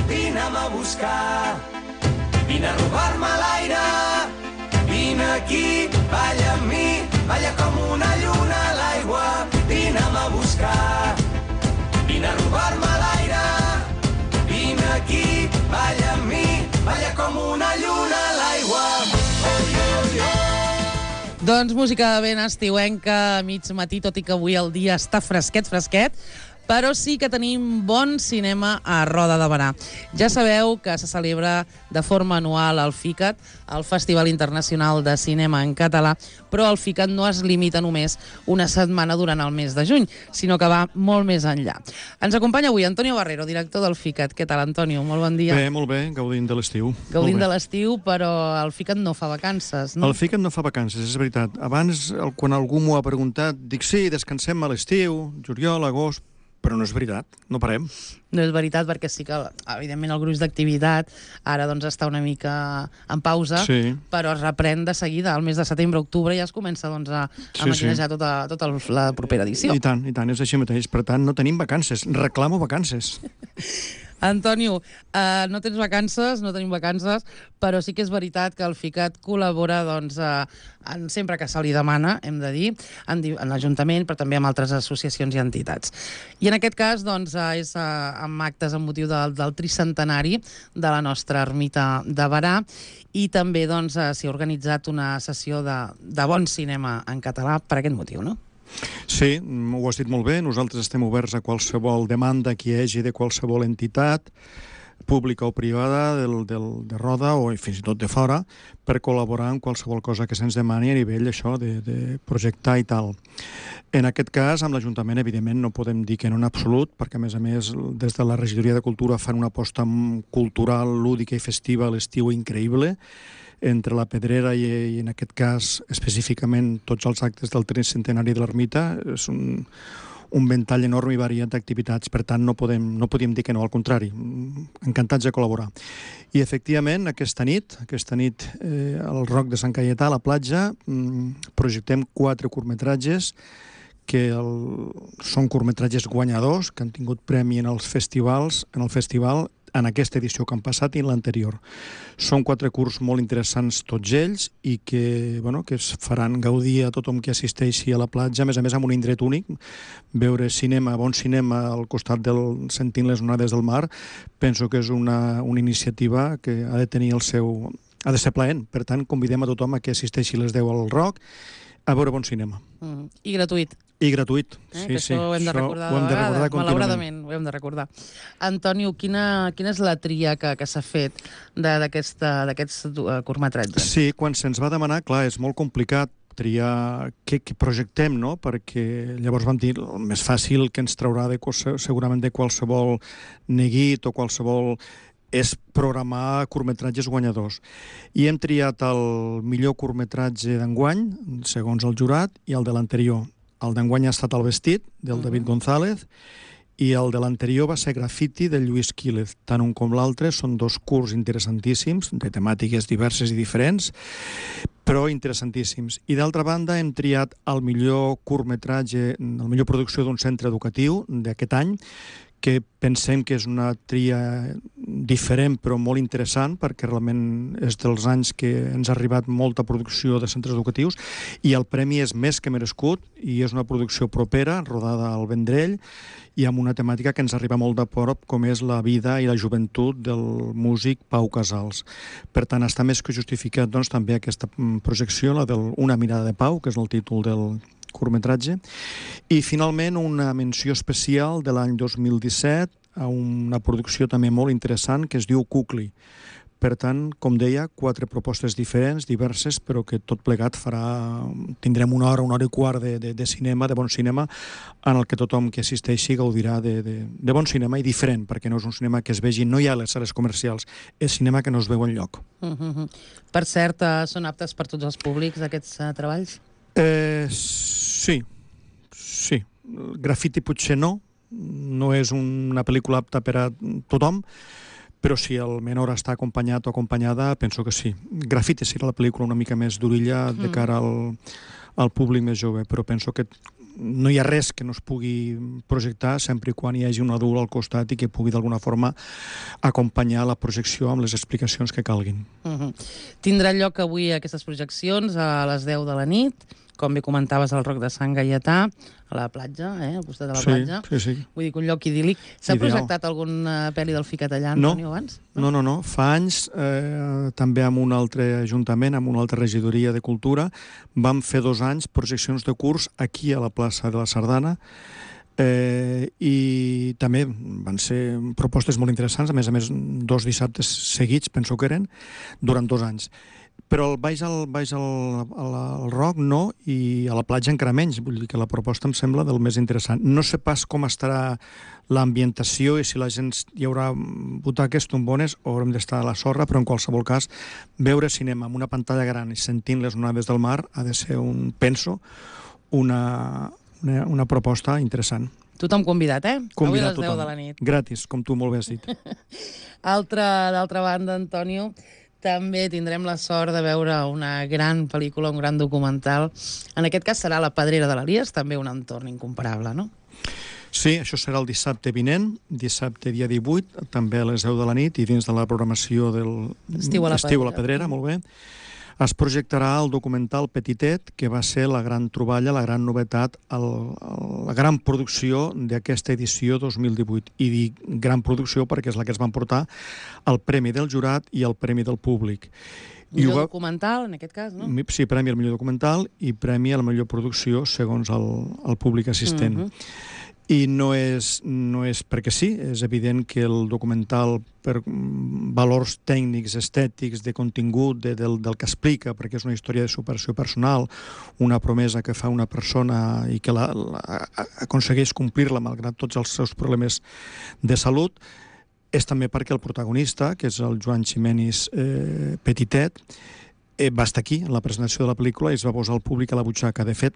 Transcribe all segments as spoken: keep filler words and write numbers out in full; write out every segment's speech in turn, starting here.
vine'm a buscar. Vine a robar-me l'aire, vine aquí, balla amb mi, balla com una lluna a l'aigua, vine'm a buscar. Vine a robar-me l'aire, vine aquí, balla amb mi, balla com una lluna a l'aigua. Doncs música ben estiuenca a mig matí, tot i que avui el dia està fresquet, fresquet, però sí que tenim bon cinema a Roda de Berà. Ja sabeu que se celebra de forma anual el FICAT, el Festival Internacional de Cinema en Català, però el FICAT no es limita només una setmana durant el mes de juny, sinó que va molt més enllà. Ens acompanya avui Antonio Barrero, director del FICAT. Què tal, Antonio? Molt bon dia. Bé, molt bé, gaudint de l'estiu. Gaudint de l'estiu, però el FICAT no fa vacances, no? El FICAT no fa vacances, és veritat. Abans, quan algú m'ho ha preguntat, dic sí, descansem a l'estiu, juliol, agost, però no és veritat, no parem. No és veritat, perquè sí que, evidentment, el gruix d'activitat ara doncs està una mica en pausa, sí. Però es reprèn de seguida, al mes de setembre, octubre, ja es comença doncs, a, a sí, maquinejar sí. tota, tota la propera edició. I tant, i tant, és així mateix. Per tant, no tenim vacances, reclamo vacances. Antonio, uh, no tens vacances, no tenim vacances, però sí que és veritat que el FICAT col·labora doncs, uh, en, sempre que se li demana, hem de dir, en, en l'Ajuntament, però també amb altres associacions i entitats. I en aquest cas doncs, uh, és uh, amb actes amb motiu del, del tricentenari de la nostra ermita de Berà, i també doncs, uh, s'hi ha organitzat una sessió de, de bon cinema en català per aquest motiu, no? Sí, ho has dit molt bé. Nosaltres estem oberts a qualsevol demanda que hi hagi de qualsevol entitat, pública o privada, del, del, de Roda o fins i tot de fora, per col·laborar en qualsevol cosa que se'ns demani a nivell això de, de projectar i tal. En aquest cas, amb l'Ajuntament, evidentment, no podem dir que no en absolut, perquè, a més a més, des de la Regidoria de Cultura fan una aposta cultural, lúdica i festiva a l'estiu increïble, entre la Pedrera i, i en aquest cas específicament tots els actes del tricentenari de l'ermita. És un, un ventall enorme i variat d'activitats, per tant no podem, no podíem dir que no, al contrari, encantats de col·laborar. I efectivament aquesta nit, aquesta nit eh, al Roc de Sant Caietà, a la platja, mm, projectem quatre curtmetratges que el, són curtmetratges guanyadors, que han tingut premi en els festivals, en el festival en aquesta edició que han passat i en l'anterior. Són quatre curts molt interessants tots ells i que, bueno, que es faran gaudir a tothom que assisteixi a la platja, a més a més amb un indret únic, veure cinema, bon cinema al costat del sentint les onades del mar, penso que és una, una iniciativa que ha de tenir el seu... ha de ser plaent. Per tant, convidem a tothom a que assisteixi a les deu al Roc a veure bon cinema. Mm. I gratuït. I gratuït, eh? sí, que sí. Això ho hem de recordar de vegades, malauradament, ho hem de recordar. Antonio, quina, quina és la tria que, que s'ha fet d'aquests curtmetratges? Sí, quan se'ns va demanar, clar, és molt complicat triar què, què projectem, no? Perquè llavors vam dir el més fàcil que ens traurà de, segurament de qualsevol neguit o qualsevol és programar curtmetratges guanyadors. I hem triat el millor curtmetratge d'enguany, segons el jurat, i el de l'anterior. El d'enguany ha estat El vestit, del David González, i el de l'anterior va ser Graffiti, de Lluís Quílez. Tant un com l'altre són dos curts interessantíssims, de temàtiques diverses i diferents, però interessantíssims. I d'altra banda hem triat el millor curtmetratge, la millor producció d'un centre educatiu d'aquest any, que pensem que és una tria diferent però molt interessant, perquè realment és dels anys que ens ha arribat molta producció de centres educatius i el premi és més que merescut i és una producció propera, rodada al Vendrell i amb una temàtica que ens arriba molt de prop, com és la vida i la joventut del músic Pau Casals. Per tant, està més que justificat doncs, també aquesta projecció, la del Una mirada de Pau, que és el títol del curtmetratge, i finalment una menció especial de l'any dos mil disset a una producció també molt interessant que es diu Cucli. Per tant, com deia, quatre propostes diferents, diverses, però que tot plegat farà... Tindrem una hora, una hora i quart de, de, de cinema, de bon cinema, en el que tothom que assisteixi gaudirà de, de, de bon cinema i diferent, perquè no és un cinema que es vegi, no hi ha les sales comercials, és cinema que no es veu enlloc. Mm-hmm. Per cert, uh, són aptes per tots els públics, aquests uh, treballs? Eh, sí, sí. Graffiti potser no, no és una pel·lícula apta per a tothom, però si el menor està acompanyat o acompanyada, penso que sí. Graffiti serà la pel·lícula una mica més d'orilla de cara al, al públic més jove, però penso que no hi ha res que no es pugui projectar sempre i quan hi hagi un adult al costat i que pugui d'alguna forma acompanyar la projecció amb les explicacions que calguin. Uh-huh. Tindrà lloc avui aquestes projeccions a les deu de la nit, com bé comentaves, al Roc de Sant Gaietà, a la platja, eh, al costat de la sí, platja. Sí, sí. Vull dir que un lloc idíl·lic. S'ha projectat alguna pel·li del Ficat allà, Antonio, no, abans? No, no, no. Fa anys, eh, també amb un altre ajuntament, amb una altra regidoria de cultura, vam fer dos anys projeccions de curs aquí a la plaça de la Sardana, Eh, i també van ser propostes molt interessants, a més a més dos dissabtes seguits, penso que eren, durant dos anys. Però el baix al, baix al, al, al Roc no, i a la platja encara menys. Vull dir que la proposta em sembla del més interessant. No sé pas com estarà l'ambientació i si la gent hi haurà butaques, tombones o haurem d'estar a la sorra, però en qualsevol cas veure cinema amb una pantalla gran i sentint les onades del mar ha de ser un, penso, una, una, una proposta interessant. Tothom convidat, eh? Convidat avui a les deu tothom. de la nit. Gratis, com tu molt bé has dit. Altra, d'altra banda, Antonio, també tindrem la sort de veure una gran pel·lícula, un gran documental. En aquest cas serà La Pedrera de l'Elies, també un entorn incomparable, no? Sí, això serà el dissabte vinent, dissabte dia divuit, també a les deu de la nit, i dins de la programació del Estiu a la Estiu a la Pedrera. Pedrera, molt bé. Es projectarà el documental Petitet, que va ser la gran troballa, la gran novetat, el, el, la gran producció d'aquesta edició dos mil divuit. I dic gran producció perquè és la que es van portar el Premi del Jurat i el Premi del Públic. Millor va... documental, en aquest cas, no? Sí, Premi al millor documental i Premi a la millor producció segons el, el públic assistent. Uh -huh. I no és, no és perquè sí, és evident que el documental, per valors tècnics, estètics, de contingut, de, del, del que explica, perquè és una història de superació personal, una promesa que fa una persona i que la, la, aconsegueix complir-la malgrat tots els seus problemes de salut, és també perquè el protagonista, que és el Joan Ximenis eh, Petitet, eh, va estar aquí en la presentació de la pel·lícula i es va posar el públic a la butxaca. De fet,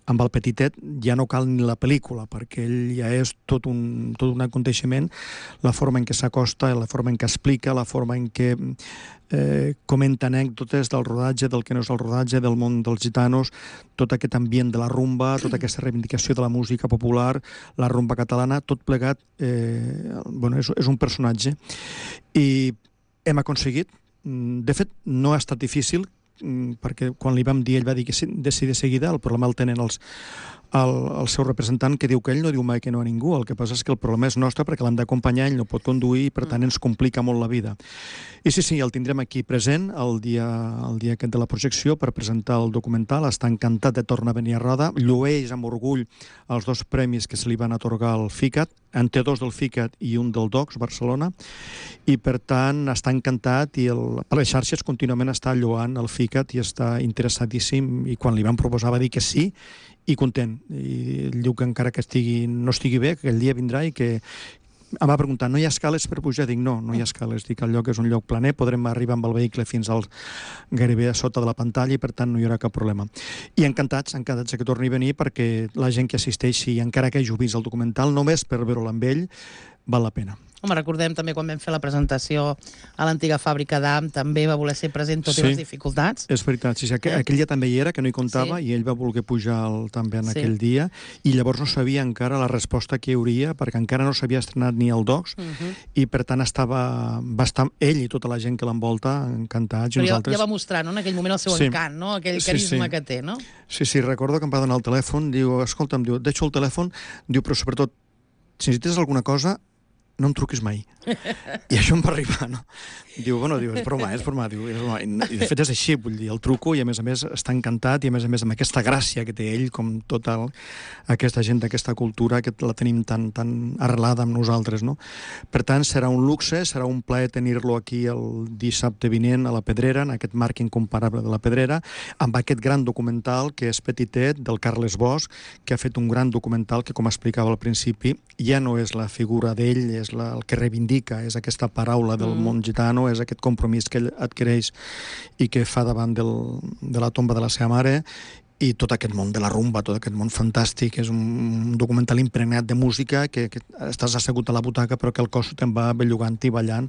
amb el Petitet ja no cal ni la pel·lícula, perquè ell ja és tot un, tot un aconteixement, la forma en què s'acosta, la forma en què explica, la forma en què eh, comenta anècdotes del rodatge, del que no és el rodatge, del món dels gitanos, tot aquest ambient de la rumba, tota aquesta reivindicació de la música popular, la rumba catalana, tot plegat, eh, bueno, és, és un personatge. I hem aconseguit, de fet, no ha estat difícil, perquè quan li vam dir, ell va dir que sí, de sí de seguida, el problema el tenen els, el, el seu representant, que diu que ell no diu mai que no a ningú, el que passa és que el problema és nostre perquè l'hem d'acompanyar, ell no pot conduir i per tant ens complica molt la vida. I sí, sí, el tindrem aquí present el dia, el dia aquest de la projecció per presentar el documental, està encantat de tornar a venir a Roda, llueix amb orgull els dos premis que se li van atorgar al FICAT, en té dos del FICAT i un del DOCS Barcelona, i per tant està encantat i el, per les xarxes contínuament està lloant el FICAT i està interessadíssim, i quan li van proposar va dir que sí i content, i diu que encara que estigui, no estigui bé, que aquell dia vindrà i que em va preguntar, no hi ha escales per pujar? Dic, no, no hi ha escales, dic, el lloc és un lloc planer, podrem arribar amb el vehicle fins al gairebé a sota de la pantalla i per tant no hi haurà cap problema. I encantats, encantats que torni a venir perquè la gent que assisteixi, encara que hagi vist el documental, només per veure-lo amb ell, val la pena. Home, recordem també quan vam fer la presentació a l'antiga fàbrica d'A M, també va voler ser present tot sí, i les dificultats. És veritat, sí, sí. Aquell, aquell dia també hi era, que no hi comptava, sí. I ell va voler pujar el, també en sí. aquell dia, i llavors no sabia encara la resposta que hi hauria, perquè encara no s'havia estrenat ni el DOCS, uh -huh. i per tant estava, va estar ell i tota la gent que l'envolta encantats. Però i ja, nosaltres... ja va mostrar, no?, en aquell moment el seu sí. encant, no?, aquell sí, carisma sí. que té, no? Sí, sí, recordo que em va donar el telèfon, diu, escolta'm, diu, et deixo el telèfon, diu, però sobretot, si necessites alguna cosa, no em truquis mai. I això em va arribar, no? Diu, bueno, diu, és broma, és broma, diu, és broma. I de fet és així, vull dir, el truco i a més a més està encantat i a més a més amb aquesta gràcia que té ell, com tota el, aquesta gent d'aquesta cultura que la tenim tan, tan arrelada amb nosaltres, no? Per tant, serà un luxe, serà un plaer tenir-lo aquí el dissabte vinent a la Pedrera, en aquest marc incomparable de la Pedrera, amb aquest gran documental que és Petitet, del Carles Bosch, que ha fet un gran documental que, com explicava al principi, ja no és la figura d'ell, és la, el que reivindica, és aquesta paraula del mm. món gitano, és aquest compromís que ell adquireix i que fa davant del, de la tomba de la seva mare, i tot aquest món de la rumba, tot aquest món fantàstic, és un documental impregnat de música, que, que estàs assegut a la butaca però que el cos te'n va bellugant i ballant,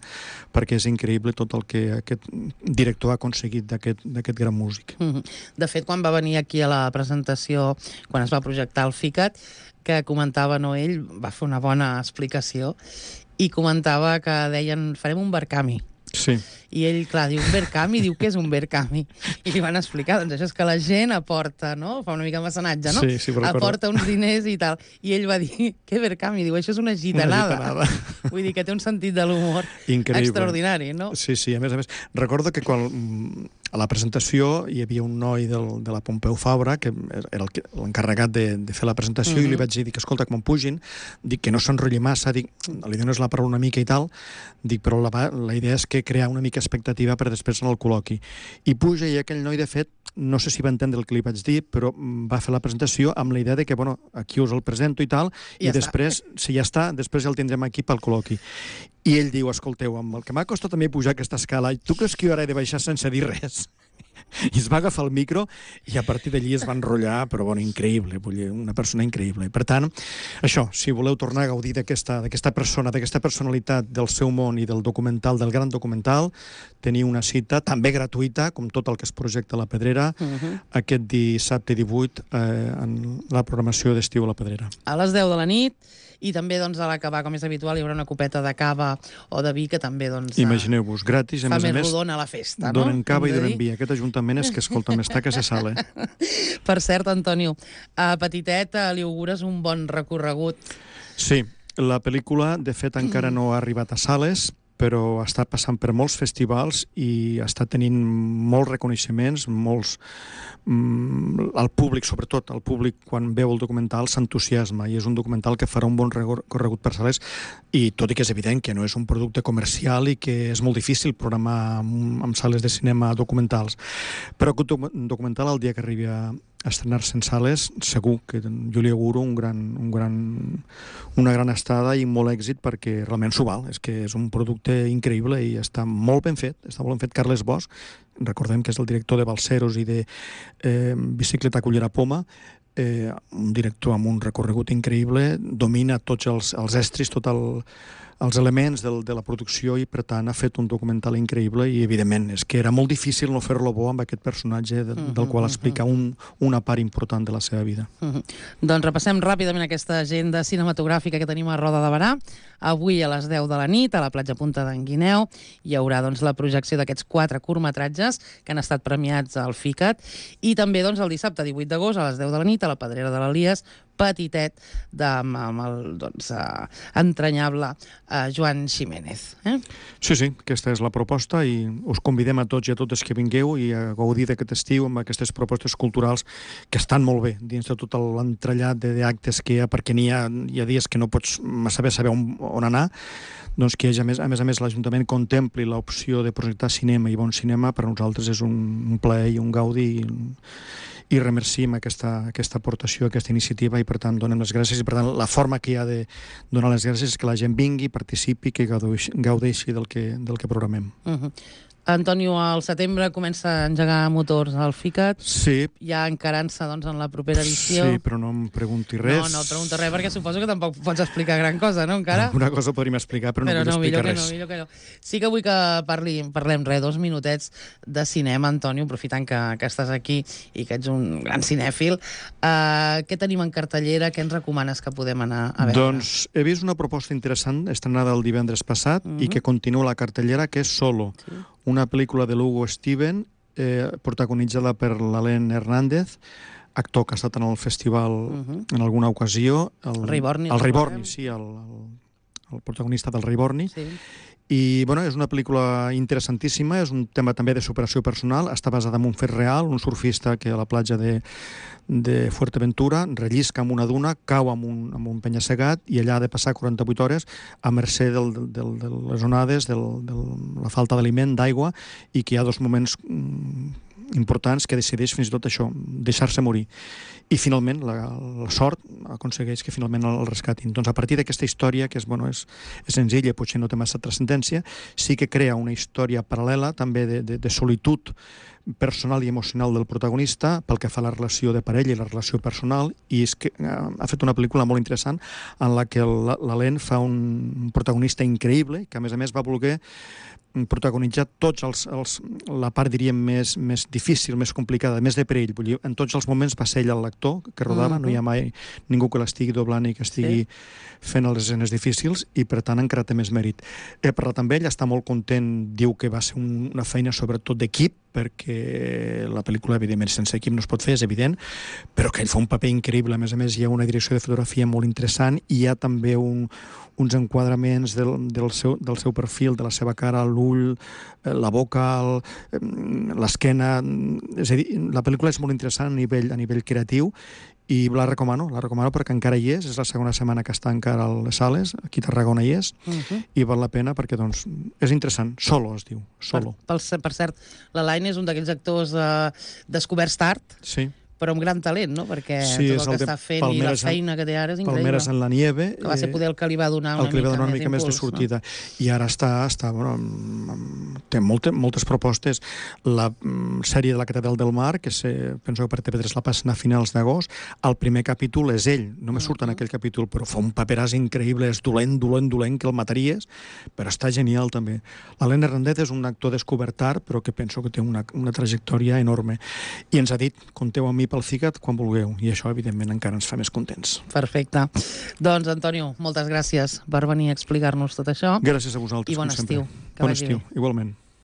perquè és increïble tot el que aquest director ha aconseguit d'aquest gran músic. De fet, quan va venir aquí a la presentació, quan es va projectar el FICAT, que comentava, no, ell va fer una bona explicació i comentava que deien, farem un Barcami. Sí. I ell, clar, diu, un Verkami, diu, què és un Verkami? I li van explicar, doncs això és que la gent aporta, no? Fa una mica de mecenatge, no? Sí, sí, però aporta uns diners i tal. I ell va dir, què Verkami? Diu, això és una gitanada. Una gitanada. Vull dir que té un sentit de l'humor extraordinari, no? Sí, sí, a més a més. Recordo que quan a la presentació hi havia un noi del, de la Pompeu Fabra, que era l'encarregat de, de fer la presentació, uh-huh. i li vaig dir, dic, escolta, que me'n pugin, dic que no s'enrotlli massa, dic, li dones la paraula una mica i tal, dic, però la, la idea és que crear una mica expectativa per després en el col·loqui. I puja i aquell noi, de fet, no sé si va entendre el que li vaig dir, però va fer la presentació amb la idea de que, bueno, aquí us el presento i tal, i, i ja després, està. si ja està, després ja el tindrem aquí pel col·loqui. I ell diu, escolteu, amb el que m'ha costat també pujar aquesta escala, tu creus que jo ara he de baixar sense dir res? I es va agafar el micro i a partir d'allí es va enrotllar, però bueno, increïble, vull dir, una persona increïble. Per tant, això, si voleu tornar a gaudir d'aquesta persona, d'aquesta personalitat del seu món i del documental, del gran documental, teniu una cita també gratuïta, com tot el que es projecta a la Pedrera, uh-huh. aquest dissabte divuit eh, en la programació d'estiu a la Pedrera. A les deu de la nit, i també doncs, a l'acabar, com és habitual, hi haurà una copeta de cava o de vi que també doncs, imagineu-vos, gratis, a fa més a més més, rodona la festa, no? donen cava i donen vi. Aquest ajuntament és que, escolta, m'està que se sale. Per cert, Antonio, a Petitet li augures un bon recorregut. Sí, la pel·lícula, de fet, encara no ha arribat a sales, però està passant per molts festivals i està tenint molts reconeixements, molts... el públic, sobretot, el públic, quan veu el documental, s'entusiasma, i és un documental que farà un bon recorregut per sales, i tot i que és evident que no és un producte comercial i que és molt difícil programar amb sales de cinema documentals. Però aquest documental, el dia que arribi a estrenar-se en sales, segur que jo li auguro un gran, un gran, una gran estada i molt èxit, perquè realment s'ho val. És que és un producte increïble i està molt ben fet. Està molt ben fet. Carles Bosch, recordem que és el director de Balseros i de eh, Bicicleta Cullera Poma, eh, un director amb un recorregut increïble, domina tots els, els estris, tot el els elements del, de la producció, i per tant ha fet un documental increïble, i evidentment és que era molt difícil no fer-lo bo amb aquest personatge de, del qual explica un, una part important de la seva vida. Uh-huh. Doncs repassem ràpidament aquesta agenda cinematogràfica que tenim a Roda de Berà. Avui a les deu de la nit, a la platja Punta d'en Guineu, hi haurà doncs, la projecció d'aquests quatre curtmetratges que han estat premiats al FICAT, i també doncs, el dissabte divuit d'agost a les deu de la nit a la Pedrera de l'Elies, Petitet, de, amb, amb el doncs, uh, entranyable uh, Joan Ximénez. Eh? Sí, sí, aquesta és la proposta, i us convidem a tots i a totes que vingueu i a gaudir d'aquest estiu amb aquestes propostes culturals que estan molt bé dins de tot l'entrellat d'actes que hi ha, perquè n'hi ha, hi ha dies que no pots saber saber on, on anar, doncs que a més a més, a més l'Ajuntament contempli l'opció de projectar cinema i bon cinema, per a nosaltres és un, un plaer i un gaudi, i, i remercim aquesta, aquesta aportació, aquesta iniciativa, i per tant donem les gràcies, i per tant la forma que hi ha de donar les gràcies és que la gent vingui, participi, que gaudeixi, gaudeixi del, que, del que programem. Uh-huh. Antonio, al setembre comença a engegar motors al FICAT. Sí. Ja encarant-se doncs, en la propera edició. Sí, però no em pregunti res. No, no et pregunto res, perquè suposo que tampoc pots explicar gran cosa, no, encara? Alguna cosa podríem explicar, però, però no vull no, explicar millor res. Que no, millor que no. Sí que vull que parli, parlem res, dos minutets de cinema, Antonio, aprofitant que, que estàs aquí i que ets un gran cinèfil. Uh, què tenim en cartellera? Què ens recomanes que podem anar a veure? Doncs he vist una proposta interessant, estrenada el divendres passat, uh-huh. i que continua a la cartellera, que és Solo. Sí. Una pel·lícula de l'Hugo Steven, eh, protagonitzada per l'Alen Hernández, actor que ha estat en el festival uh-huh. en alguna ocasió. El Rei Borni. El Rei Borni, sí, el, el, el protagonista del Rei Borni. Sí. I bueno, és una pel·lícula interessantíssima, és un tema també de superació personal, està basada en un fet real, un surfista que a la platja de, de Fuerteventura rellisca amb una duna, cau amb un, amb un penya-segat, i allà ha de passar quaranta-vuit hores a mercè del, del, de les onades, de la falta d'aliment, d'aigua, i que hi ha dos moments mm, importants que decideix fins i tot això, deixar-se morir. I finalment la, la sort aconsegueix que finalment el rescatin. Doncs a partir d'aquesta història, que és, bueno, és, és senzilla, potser no té massa transcendència, sí que crea una història paral·lela també de, de, de solitud personal i emocional del protagonista, pel que fa a la relació de parella i la relació personal, i és que eh, ha fet una pel·lícula molt interessant en la que l'Alain fa un protagonista increïble, que a més a més va voler protagonitzar tots els, els, la part, diríem, més, més difícil, més complicada, més de perill. Vull dir, en tots els moments va ser ell l'actor que rodava, mm-hmm. no hi ha mai ningú que l'estigui doblant i que estigui sí. fent les escenes difícils, i per tant encara té més mèrit. He parlat amb ell, està molt content, diu que va ser un, una feina sobretot d'equip, perquè la pel·lícula, evidentment, sense equip no es pot fer, és evident, però que ell fa un paper increïble. A més a més, hi ha una direcció de fotografia molt interessant, i hi ha també un, uns enquadraments del, del, seu, del seu perfil, de la seva cara, l'ull, la boca, l'esquena. És a dir, la pel·lícula és molt interessant a nivell, a nivell creatiu, i la recomano, la recomano perquè encara hi és, és la segona setmana que està encara a les sales, aquí a Tarragona hi és, uh-huh. i val la pena perquè, doncs, és interessant. Solo, es diu, Solo. Per, per, per cert, l'Alain és un d'aquells actors eh, descoberts tard, sí. però amb gran talent, no? Perquè sí, tot el que està fent i la feina que té ara és increïble. Palmeres en la nieve. Que va ser poder el que li va donar una, el que li va donar una mica, mica més, impuls, més de sortida. No? I ara està, està bueno, té molte, moltes propostes. La mm, sèrie de la Catedral del Mar, que se, penso que per T V tres la passen a finals d'agost, el primer capítol és ell, només surt en aquell capítol, però fa un paperàs increïble, és dolent, dolent, dolent, que el mataries, però està genial també. L'Alain Hernández és un actor descobert tard, però que penso que té una, una trajectòria enorme. I ens ha dit, compteu amb mi pel Cicat quan vulgueu. I això, evidentment, encara ens fa més contents. Perfecte. Doncs, Antonio, moltes gràcies per venir a explicar-nos tot això. Gràcies a vosaltres, I bon com sempre. estiu. Que bon vagi estiu, bé. igualment.